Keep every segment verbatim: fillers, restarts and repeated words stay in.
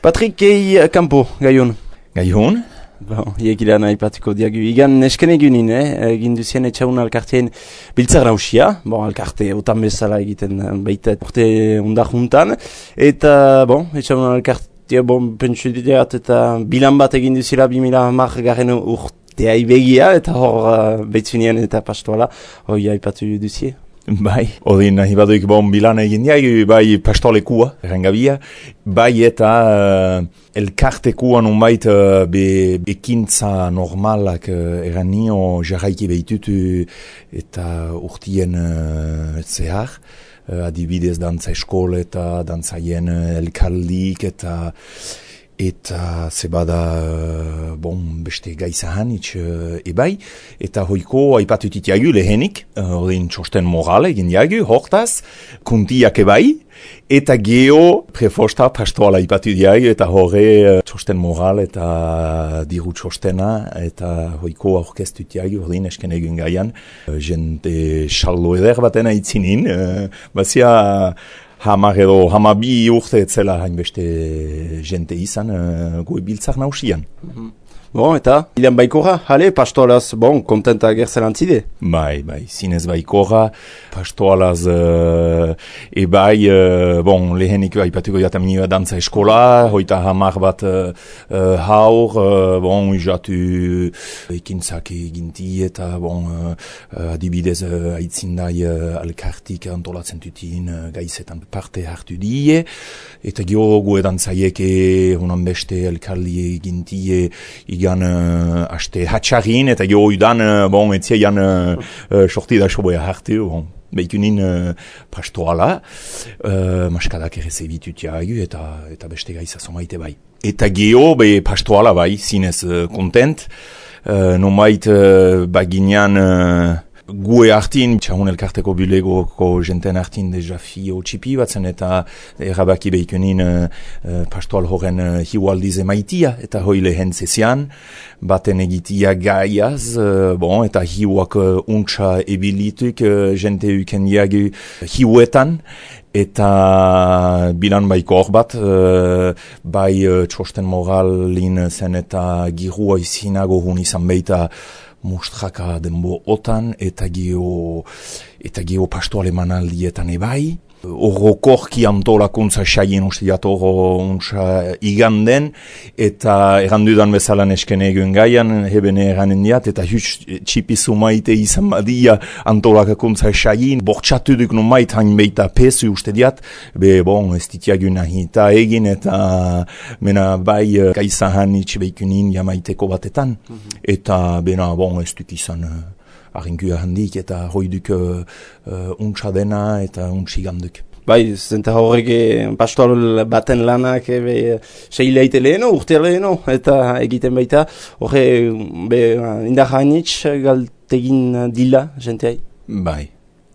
Patrick Kei Campo, gaion. Gaion? Bon, iegilean aipatuko diagu. Igan nesken egunin, eh? Egin duzien etxaun alkarteen biltzar nausia. Bon, alkarte otan bezala egiten baita urte unda juntan. Eta, bon, etxaun alkartea, bon, pentsu diat eta bilan bat egin duzila bi mila hamar garen urtea ibegia. Eta hor, uh, beitzunean eta pastoala, hoi aipatu duzie. Bai, odin nahi baduik bon bilan egin diagu, bai pastolekua, errengabia, bai eta uh, elkartekua nunbait uh, be, bekintza normalak uh, eranio jarraiki behitutu eta urtien uh, zehar, uh, adibidez dantza eskol eta dantzaien uh, elkarlik eta eta zebada, uh, bon, beste gaizahan itx uh, ebai, eta hoiko aipatutit jagu lehenik, odin uh, txosten moral egin jagu, hortaz, kuntiak ebai, eta geho prefosta pastoala aipatu jagu, eta horre uh, txosten moral eta diru txostena, eta hoiko aurkeztut jagu, odin esken egun gaian, uh, jente xallo eder batena itzinin, uh, bazia, Hamar edo hamabi urte etzela hainbeste jente izan uh, goe biltzak nausian. Mm-hmm. Bon, eta, ilan baikora, jale, pastoalaz, bon, kontenta gerzelantzide? Bai, bai, zinez baikora, pastoalaz, uh, ebai, uh, bon, lehenik baipatuko jatamini dantza eskola, hoita hamar bat uh, uh, haur, uh, bon, izatu ekintzak eginti, eta, bon, uh, adibidez, uh, aitzindai uh, alkartik antolatzen tutin uh, gaizetan parte hartu die, eta gio goe dantzaieke, honan beste elkarli eginti, igan uh, aste hatxarin, eta jo udan, uh, bon, etzia jan uh, uh, sorti da soboia hartu, bon, behikunin uh, pastoala, uh, maskadak ere zebitut jagu, eta, eta beste gaiza somaite bai. Eta geho, be pastoala bai, zinez uh, kontent, uh, nomait uh, baginean, uh, gue hartin, txahun elkarteko bulegoko jenten hartin deja fio txipi batzen eta erabaki behikunin uh, uh, pastoal horren uh, hiualdiz emaitia eta hoi lehen zezian, baten egitia gaiaz, uh, bon, eta hiuak uh, untsa ebilituk uh, jente uken jagu hiuetan, eta bilan baiko hor bat, uh, bai uh, txosten moralin zen eta girua izinago hun izan beita mustraka denbo otan, eta geho, eta geho pastoale manaldietan ebai. Horro korki antolakuntza saien uste jat horro untsa iganden, eta errandudan bezala nesken egun gaian, hebene eranen diat, eta huts txipizu maite izan badia antolakuntza saien, bortxatu duk no mait hain beita pesu uste diat, be bon, ez ditiagun nahi eta egin, eta mena bai gaizahan itxbeikunin jamaiteko batetan, mm-hmm. Eta bena bon, ez duk izan arrinkua handik eta hoiduk uh, uh, untsa dena eta untsiganduk. Bai, zenta horrek pastoal baten lanak ebe seileite leheno, urte leheno, eta egiten baita, horre be indar hainitz galtegin dila, jenteai? Bai,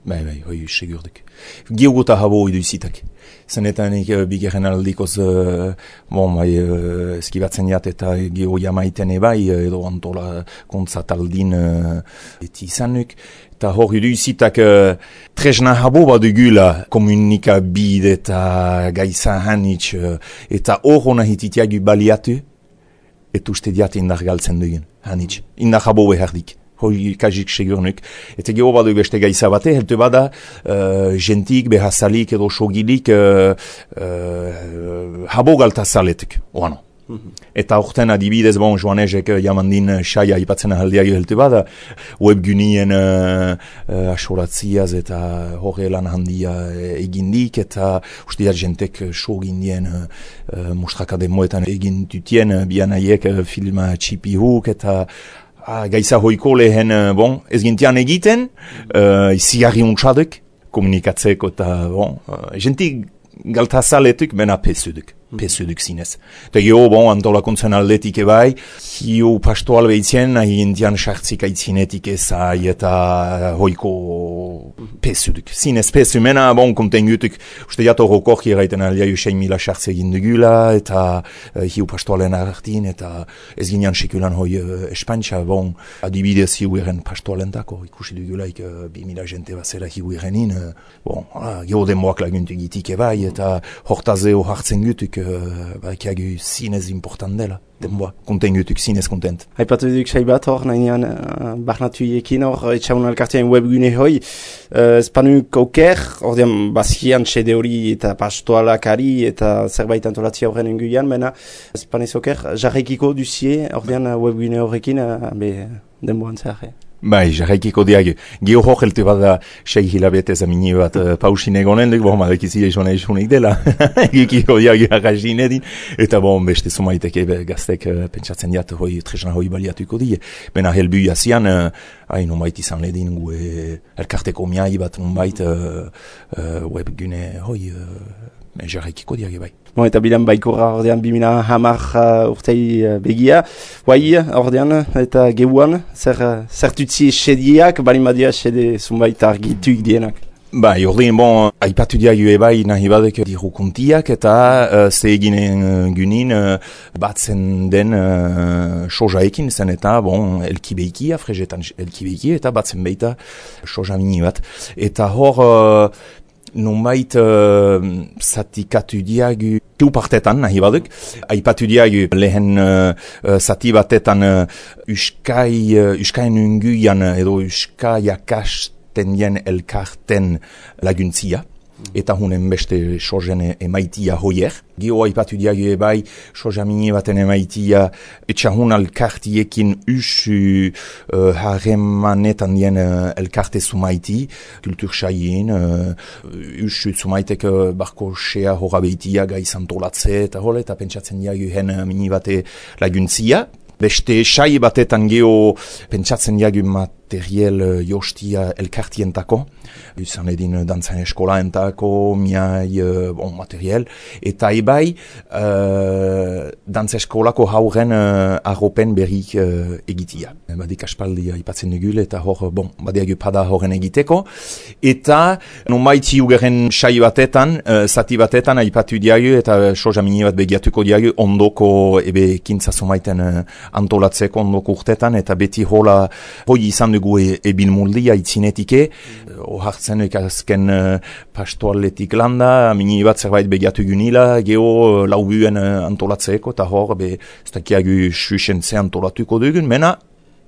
bai, bai, hoi segurduk. Geogota habo oidu izitak. Zenetanik uh, bigeren aldikoz, uh, bon, bai, uh, eskibatzen jat eta geo jamaiten ebai, edo antola kontzataldin uh, eti izanuk. Eta hor idu izitak uh, tresna habo badugula komunikabid eta gaisa hanitz, uh, eta hor hona hititiagu baliatu, eta uste diat indar galtzen dugun, hanitz. Indar habo behardik. Hoi kajik segurnuk. Eta geho badu beste gaiza bate, helte bada uh, jentik, behazalik edo sogilik uh, uh, habo galta zaletuk, oano. Mm-hmm. Eta orten adibidez, bon, joanezek jamandin saia ipatzen ahaldiak helte bada, webgunien uh, uh, asoratziaz eta horre lan handia egindik, eta usteat jentek sogindien uh, uh, mustraka demoetan egintutien, uh, bianaiek uh, filma txipi huk, eta Ah, gaisa hoiko lehen, bon, ez gintian egiten, uh, izigarri untsaduk, komunikatzeko eta, bon, uh, jentik galtazaletuk, bena pesuduk, pesuduk zinez. Eta geho, bon, antolakuntzen aldetik ebai, hiu pastoal behitzen, nahi gintian sartzik aitzinetik ezai eta hoiko pesuduk. Zinez pesu, mena, bon, kontengutuk, uste jato rokorki eraiten aldia usein mila sartze egin dugula, eta uh, hiu pastoalen hartin, eta ez ginean sekulan hoi uh, espantxa, bon, adibidez hiu eren pastoalentako, ikusi dugulaik uh, bi mila jente bazera hiu erenin, uh, bon, uh, geho denboak laguntu gitik ebai, eta hortazeo hartzen gutuk, uh, badakiagu zinez important dela. Denboa, konten gutuk zinez kontent. Haipatu duk sai bat hor, nahinean uh, barnatuiekin hor, etxaun alkartean webgune hoi, uh, espanuk oker, ordean bazkian sede hori eta pastoalakari eta zerbait antolatzia horren enguian, mena espanez oker, jarraikiko duzie, ordean uh, webgune horrekin, uh, be denboan zehar. Bai, jarraikiko diagu. Gio hor helte bat da sei hilabetez amini bat uh, pausin egonen duk, bon, madekizi eizona eizunik dela. Egikiko diagu arrazin edin. Eta bon, beste sumaiteke gaztek uh, pentsatzen diat hoi tresna hoi baliatuko die. Bena helbu jazian, uh, hain unbait izan ledin gue elkarteko miai bat unbait uh, uh, webgune hoi uh, jarraikiko diagu bai. Bon, eta bilan baikurra ordean bimina hamar uh, urtei uh, begia. Guai ordean eta geuan, zer, uh, zertutzi sediak, balin badia sede zunbait argituik dienak. Bai, ordean, bon, aipatu diagu ebai nahi badek diru kontiak eta uh, ze eginen uh, gunin uh, batzen den uh, sojaekin zen eta, bon, elkibeikia, fregetan elkibeikia eta batzen beita soja mini bat. Eta hor... Uh, Nunbait uh, zatikatu diagu tu partetan nahi baduk. Aipatu diagu lehen uh, uh, zati batetan uh, uskai, uh, uskaien unguian edo uskai akasten dien elkarten laguntzia. Eta hunen beste sojen emaitia hoier. Gio aipatu diagu ebai, soja mini baten emaitia etxahun alkartiekin usu uh, harremanetan dien uh, elkarte sumaiti, kultur saien, uh, usu sumaitek uh, barko sea horabeitia gai santolatze eta hole, eta pentsatzen diagu hen uh, mini bate laguntzia. Beste sai batetan geo pentsatzen diagu materiel uh, jostia elkartientako, izan edin dantzan eskolaentako, miai, uh, bon, materiel, eta ebai uh, dantza eskolako hauren uh, arropen berrik uh, egitia. Badik aspaldi aipatzen dugul, eta hor, bon, badiagu pada horren egiteko, eta nonbaiti ugeren sai batetan, uh, zati batetan aipatu diagu, eta soja mini bat begiatuko diagu, ondoko ebe kintza somaiten uh, antolatzeko ondoko urtetan, eta beti hola hoi izan dugu e, ebin muldia itzinetike, mm. ohartzen ekazken uh, pastoaletik landa, mini bat zerbait begiatu gunila, geho uh, laubuen uh, antolatzeko, eta hor, be, ez dakiagu suixentze antolatuko dugun, mena,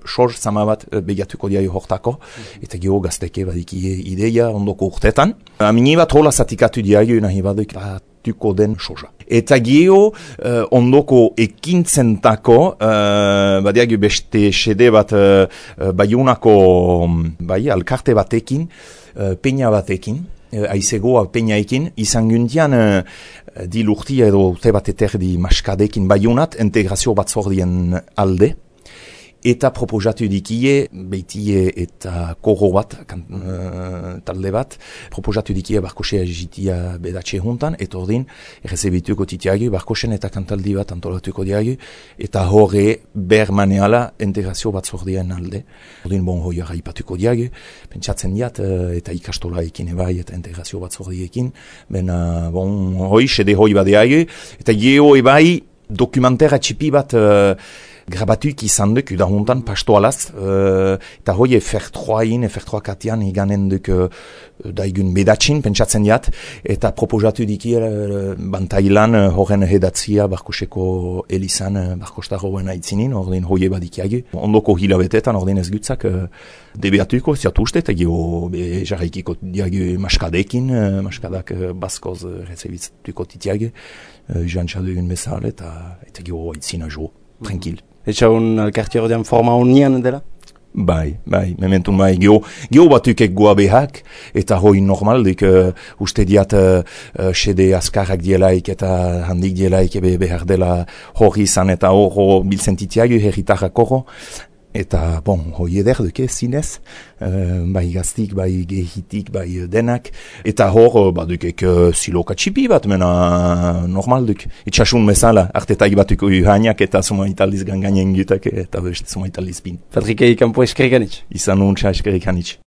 sor zama bat uh, begiatuko diai hortako, mm. eta geho gazteke badiki ideia ondoko urtetan. Uh, mini bat hola zatikatu diai nahi baduk batuko den soja. Eta geho uh, ondoko ekintzentako, uh, badiagu beste sede bat uh, baiunako bai, alkarte batekin, uh, peña batekin, uh, aizegoa peñaekin, izan gundian uh, dilurtia edo te bat eterdi maskadekin baiunat, integrazio bat zordien alde. Eta proposatu dikie, beitie eta korro bat, kan, uh, talde bat, proposatu dikie barkosea jitia bedatxe juntan, eta ordin, errezebituko titiagu, barkosen eta kantaldi bat antolatuko diagu, eta horre ber maneala integrazio bat zordien alde. Ordin, bon, hoi arraipatuko diagu, pentsatzen diat, uh, eta ikastola ekin ebai, eta integrazio bat zordiekin, ben, uh, bon, hoi, sede hoi badeagu, eta geho ebai, dokumentera txipi bat, uh, grabatuik izan duk, udahuntan pastoalaz, uh, eta hoi F R trois-in, F R trois katian iganen duk uh, daigun bedatxin, pentsatzen diat, eta proposatu diki uh, bantailan uh, horren hedatzia barkoseko elizan uh, barkostar horren aitzinin, ordin hoi badikiagu. Ondoko hilabetetan, ordin ez gutzak, uh, debeatuko, ziatu uste, eta geho jarraikiko diagu maskadekin, uh, maskadak uh, baskoz uh, rezebituko titiagu, uh, joan txadugun bezal, eta, eta geho aitzina jo, tranquil. Etxa hon alkarti horrean forma honian dela? Bai, bai, mementun bai, geho, geho batukek goa behak, eta hoi normal, dik, uh, uste diat, uh, uh, sede askarrak dielaik, eta handik dielaik, ebe behar dela hori izan, eta hor biltzen titiagu, herritarrak horro, eta, bon, hoi eder duke, zinez, uh, bai gaztik, bai gehitik, bai denak, eta hor, uh, badukek uh, siloka txipi bat, mena normal duk, itxasun bezala, artetaik batuko uhaniak, eta suma italiz ganganen gutak, eta beste suma italiz pin. Patrikei kanpo eskerik anitz. Izan nuntza eskerik anitz.